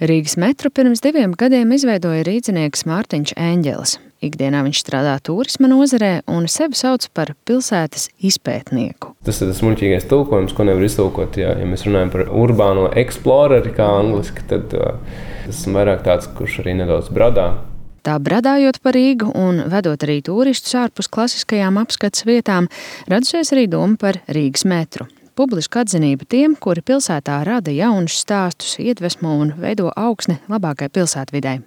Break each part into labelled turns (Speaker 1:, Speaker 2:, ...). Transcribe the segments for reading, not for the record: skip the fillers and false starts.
Speaker 1: Rīgas metru pirms 2 gadiem izveidoja rīdzinieks Mārtiņš Eņģelis. Ikdienā viņš strādā turisma nozarē un sevi sauc par pilsētas izpētnieku.
Speaker 2: Tas ir tas muļķīgais tulkojums, ko nevar iztulkot. Ja mēs runājam par urbāno eksploreru, kā angliski, tad tas ir vairāk tāds, kurš arī nedaudz bradā.
Speaker 1: Tā bradājot pa Rīgu un vedot arī turistus ārpus klasiskajām apskates vietām, radusies arī doma par Rīgas metru. Publiska atzinība tiem, kuri pilsētā rada jaunus stāstus, iedvesmo un veido augsni labākai pilsētvidei.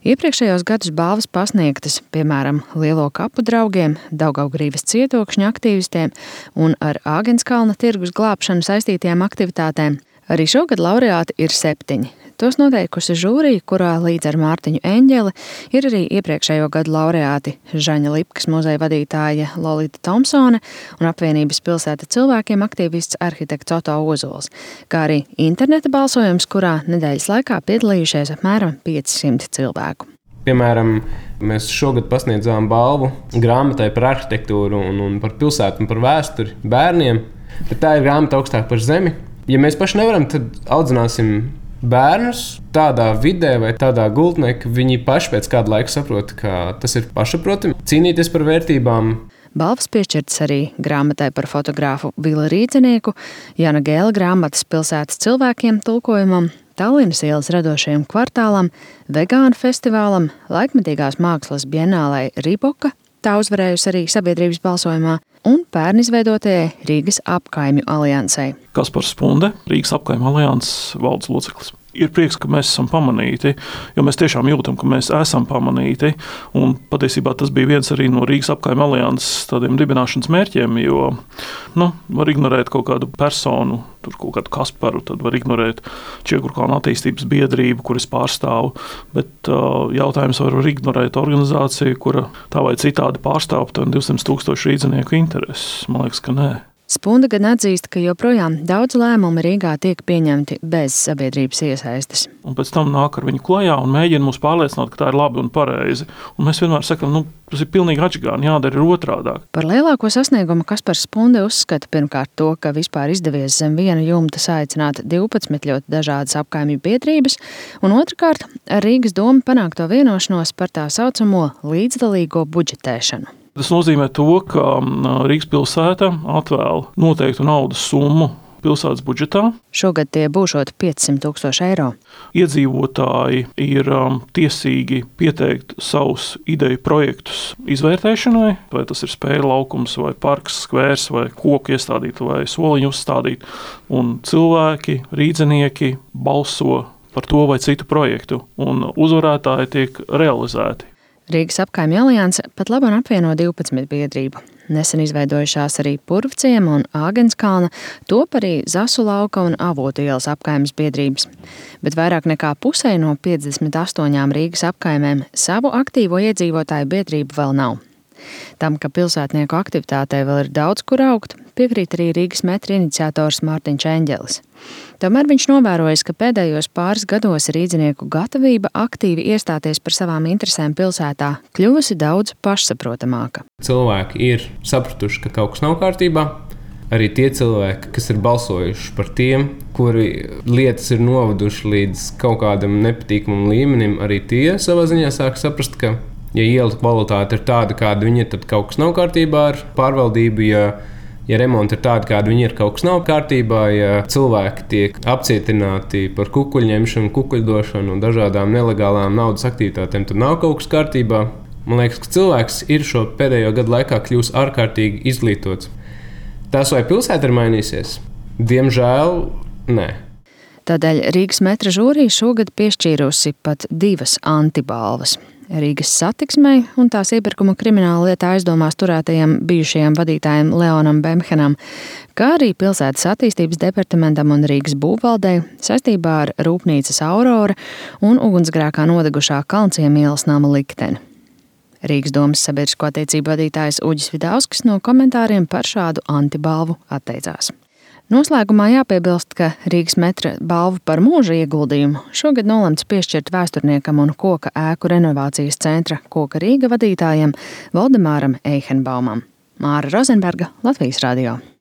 Speaker 1: Iepriekšējos gadus balvas pasniegtas, piemēram, Lielo kapu draugiem, Daugavgrīvas cietokšņa aktīvistiem un ar Āgenskalna tirgus glābšanu saistītajām aktivitātēm. Arī šogad laureāti ir 7. Tos noteikusi žūrija, kurā līdz ar Mārtiņu Eņģeli ir arī iepriekšējo gadu laureāti Žaņa Lipkas muzeja vadītāja Lolita Tomsone un apvienības pilsēta cilvēkiem aktīvists arhitekts Oto Ozols, kā arī interneta balsojums, kurā nedēļas laikā piedalījušies apmēram 500 cilvēku.
Speaker 2: Piemēram, mēs šogad pasniedzām balvu grāmatai par arhitektūru un par pilsētu un par vēsturi bērniem, bet tā ir grāmata augstāk par zemi. Ja mēs paši nevaram, tad audzināsim bērnus tādā vidē vai tādā gultnē, ka viņi paši pēc kāda laika saprot, ka tas ir pašsaprotami, cīnīties par vērtībām.
Speaker 1: Balvas piešķirtas arī grāmatai par fotogrāfu Vila Rīdzinieku, Jana Gēla grāmatas pilsētas cilvēkiem tulkojumam, Tallinas ielas radošajam kvartālam, vegānu festivālam, laikmetīgās mākslas bienālei Riboka, tā uzvarējusi arī sabiedrības balsojumā, un pērn izveidotajai Rīgas apkaimju aliansei.
Speaker 3: Kaspars Spunde, Rīgas apkaimju alianses valdes loceklis. Ir prieks, ka mēs esam pamanīti, jo mēs tiešām jūtam, ka mēs esam pamanīti. Un patiesībā tas bija viens arī no Rīgas apkaimju alianses tādiem dibināšanas mērķiem, jo var ignorēt kaut kādu personu, tur kaut kādu Kasparu, tad var ignorēt Čiekurkalna attīstības biedrību, kuras pārstāvu. Bet jautājums var ignorēt organizāciju, kura tā vai citādi pārstāv 200,000 rīdzinieku intereses. Man liekas, ka nē.
Speaker 1: Spunde gan atzīst, ka joprojām daudz lēmumu Rīgā tiek pieņemti bez sabiedrības iesaistes.
Speaker 3: Un pēc tam nāk ar viņu klajā un mēģina mūs pārliecināt, ka tā ir labi un pareizi. Un mēs vienmēr sakam, tas ir pilnīgi atšķirīgi, jādara ir otrādāk.
Speaker 1: Par lielāko sasniegumu Kaspars Spunde uzskata pirmkārt to, ka vispār izdevies zem viena jumta saicināt 12 ļoti dažādas apkaimju biedrības, un otrkārt ar Rīgas domu panākto vienošanos par tā saucamo līdzdalīgo budžetēšanu.
Speaker 3: Tas nozīmē to, ka Rīgas pilsēta atvēl noteiktu naudas summu pilsētas budžetā.
Speaker 1: Šogad tie būšot 500,000 eiro.
Speaker 3: Iedzīvotāji ir tiesīgi pieteikt savus ideju projektus izvērtēšanai, vai tas ir spēļu laukums, vai parks, skvērs, vai koku iestādīt, vai soliņu uzstādīt. Un cilvēki, rīdzinieki balso par to vai citu projektu, un uzvarētāji tiek realizēti.
Speaker 1: Rīgas apkaimju alianse pat labāk apvieno 12 biedrību. Nesen izveidojušās arī Purvciema un Āgenskalna, top arī Zasu lauka un Avotu ielas apkaimes biedrības. Bet vairāk nekā pusē no 58 Rīgas apkaimēm savu aktīvo iedzīvotāju biedrību vēl nav. Tam, ka pilsētnieku aktivitātei vēl ir daudz kur augt, piekrīt arī Rīgas metra iniciators Mārtiņš Eņģelis. Tomēr viņš novērojis, ka pēdējos pāris gados rīdzinieku gatavība aktīvi iestāties par savām interesēm pilsētā kļuvusi daudz pašsaprotamāka.
Speaker 2: Cilvēki ir sapratuši, ka kaut kas nav kārtībā. Arī tie cilvēki, kas ir balsojuši par tiem, kuri lietas ir noveduši līdz kaut kādam nepatīkamam līmenim, arī tie savā ziņā sāk saprast, ka ja iela kvalitāte ir tāda, kāda viņa ir, tad kaut kas nav kārtībā ar pārvaldību. Ja remonti ir tādi, kādi viņi ir, kaut kas nav kārtībā. Ja cilvēki tiek apcietināti par kukuļņemšanu, kukuļdošanu un dažādām nelegālām naudas aktivitātēm, tad nav kaut kas kārtībā. Man liekas, ka cilvēks ir šo pēdējo gadu laikā kļūst ārkārtīgi izglītots. Tas, vai pilsēta ir mainīsies? Diemžēl, nē.
Speaker 1: Tādēļ Rīgas metra žūrija šogad piešķīrusi pat 2 antibalvas. Rīgas satiksmei un tās iepirkuma krimināla lietā aizdomās turētajam bijušajam vadītājam Leonam Bemhenam, kā arī pilsētas attīstības departamentam un Rīgas būvvaldei saistībā ar rūpnīcas Aurora un ugunsgrēkā nodegušā Kalnciem ielas nama likteni. Rīgas domas sabiedrisko attiecību vadītājs Uģis Vidauskis no komentāriem par šādu antibalvu atteicās. Noslēgumā jāpiebilst, ka Rīgas metra balvu par mūža ieguldījumu šogad nolemts piešķirt vēsturniekam un koka ēku renovācijas centra Koka Rīga vadītājam Valdemāram Eihenbaumam. Māra Rozenberga, Latvijas radio.